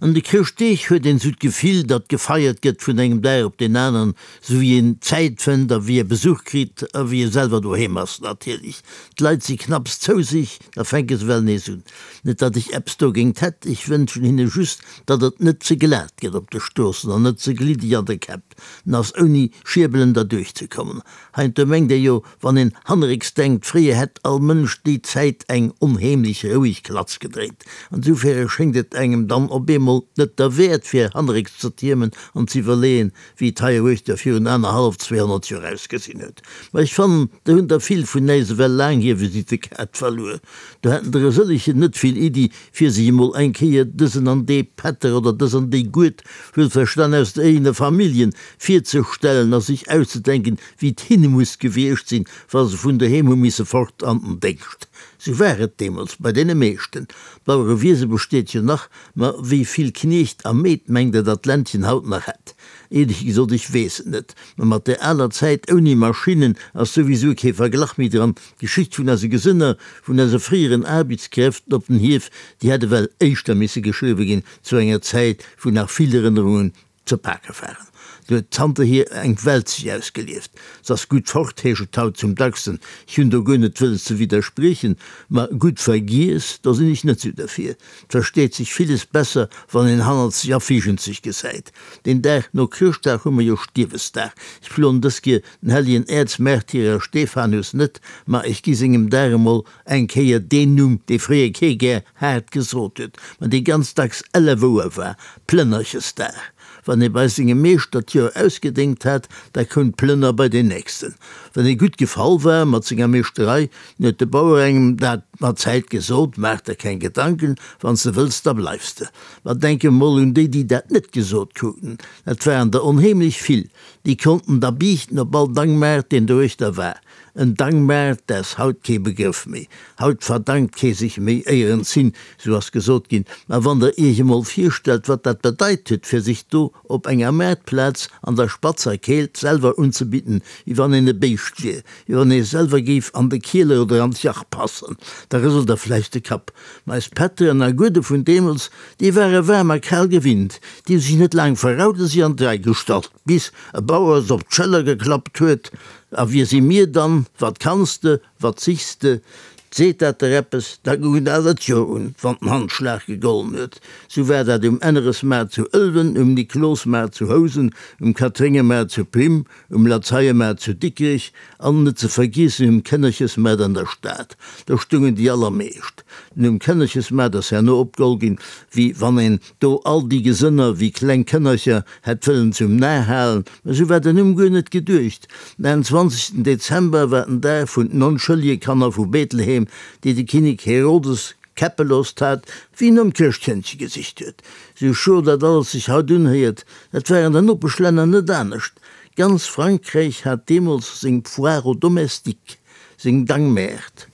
An de Chrëschtdeeg huet een sou d'Gefill, datt gefeiert gëtt vun engem Dag op deen aneren, sou wéi een Zäit fënnt a wéi ee Besuch kritt a wéi ee selwer doheem ass natierlech. D'Leit si knapps zou sech, da fänke se well nees un. Net datt ech eppes dogéint hätt, ech wënschen hinne just, datt et net ze glat gëtt op de Stroossen an net ze gliddeg an de Käpp ass, ouni Schierbelen derduerch ze kommen. Heiansdo mengt ee jo, wann een hannerécks denkt, fréier hätt all Mënsch déi Zäit eng onheemlech roueg Klatz gedréint. An soufäre schéngt et engem dann op eemol net derwäert, fir hannerécks ze tiermen an z'iwwerleeën, wéi et heieruechter virun anerhallef, 200 Joer ausgesinn huet. Ma ech fannen, do hunn der vill vun äis ewell laang hir Visittekaart verluer. Do hätten der e sëllegen net vill Iddi, fir sech emol eng Kéier dësen an dee Pätter oder dës an déi Gued, wuelverstan aus der eegener Familljen, virzestellen a sech auszedenken, wéi et hinne muss gewiescht sinn, wa se vun doheem hu misse fort an den Déngscht. Sou war et deemools bei deene meeschten. D'Bauerewiese besteet jo nach, ma wéi vill Kniecht a Meed mengt Der, datt d'Ländchen haut nach hätt? Éierlech gesot, ech weess et net. Ma mat där aler Zäit ouni Maschinnen ass souwisou kee Verglach méi dran. D'Geschicht vun eise Gesënner, vun eise fréieren Aarbechtskräften op den Hief, déi hätt ewell éischter misse geschriwwe ginn zu enger Zäit, wou nach vill Erënnerungen ze pake waren. Do huet zanterhier eng Welt sech ausgelieft. S'ass gutt fort, heescht et haut zum dacksten. Ech hunn do guer net wëlles ze widderspriechen, ma gutt vergiess, do sinn ech net sou derfir. Et versteet sech villes besser, wann een hannert sech a virgent sech gesäit. Deen Dag no Chrëschtdag hu mer jo Stierwesdag. Ech ploen dës Kier den hellegen Äerzmärtyrer Stephanus net, ma ech gi sengem Dag emol eng Kéier deen Numm, dee fréier kee gär haart gesot huet, ma dee ganz dacks elle wouer war, Plënnerchesdag. Wann ee bei sengem Meeschter d'Joer ausgedéngt hat, da koum d'Plënner bei deen nächsten. Wann ee gutt gefall war mat senger Meeschterei, dann huet de Bauer engem dat mat Zäit gesot, Maach der keng Gedanken, wann s de wëlls, da bleifs de. Ma denk emol un déi, déi dat net gesot kruten, dat waren der onheemlech vill, déi konnten da biichten op all Dangmaart, deen doruechter war. En Dankmaart, dat ass haut kee Begrëff méi. Haut verdankt kee sech méi éierens hin, sou ass gesot ginn. Mä wann der iech emol virstellt, wat dat bedeit huet, fir sech do op enger Maartplaz an der spatzer Keelt selwer unzebidden, wéi wann een e Béischt wier, wéi wann ee selwer géif an de Kieler oder an d'Jach passen, da rëselt der vläicht de Kapp. Mä eis Pätteren a Guede vun deemools, déi ware waarm a kal gewinnt, déi hu sech net laang verraut a si an d'Rei gestallt, bis e Bauer se op d'Schëller geklappt huet, A wie si mir dann? Wat kanns de? Wat sichs de? Seet dat der eppes? Da goung et awer d'Joer un, wann den Handschlag gegollen huet. Sou war dat um Enneresmaart zu Ëlwen, um Niklosmaart zu Housen, um Katréngemaart zu Prim, um Lazeiemaart zu Dikrech an, net ze vergiessen, um Kënnerchesmaart an der Stad. Do stungen déi allermeescht. Den Numm Kënnerchesmaart ass herno opgeholl ginn, wéi wann een do all déi Gesënner wéi kleng Kënnercher hätt wëllen zum Nar halen, mä sou war den Numm guer net geduecht. Den 21. Dezember war den Dag vun den onschëllege Kanner vu Bethlehem, déi de Kinnek Herodes käppe loost hat, wéi en nom Chrëschtkëndche gesicht huet. Sou scho dat alles sech haut unhéiert, dat war an den Nopeschlänner net anescht. Ganz Frankräich hat deemools seng Foire aux domestiques, seng Dangmäert.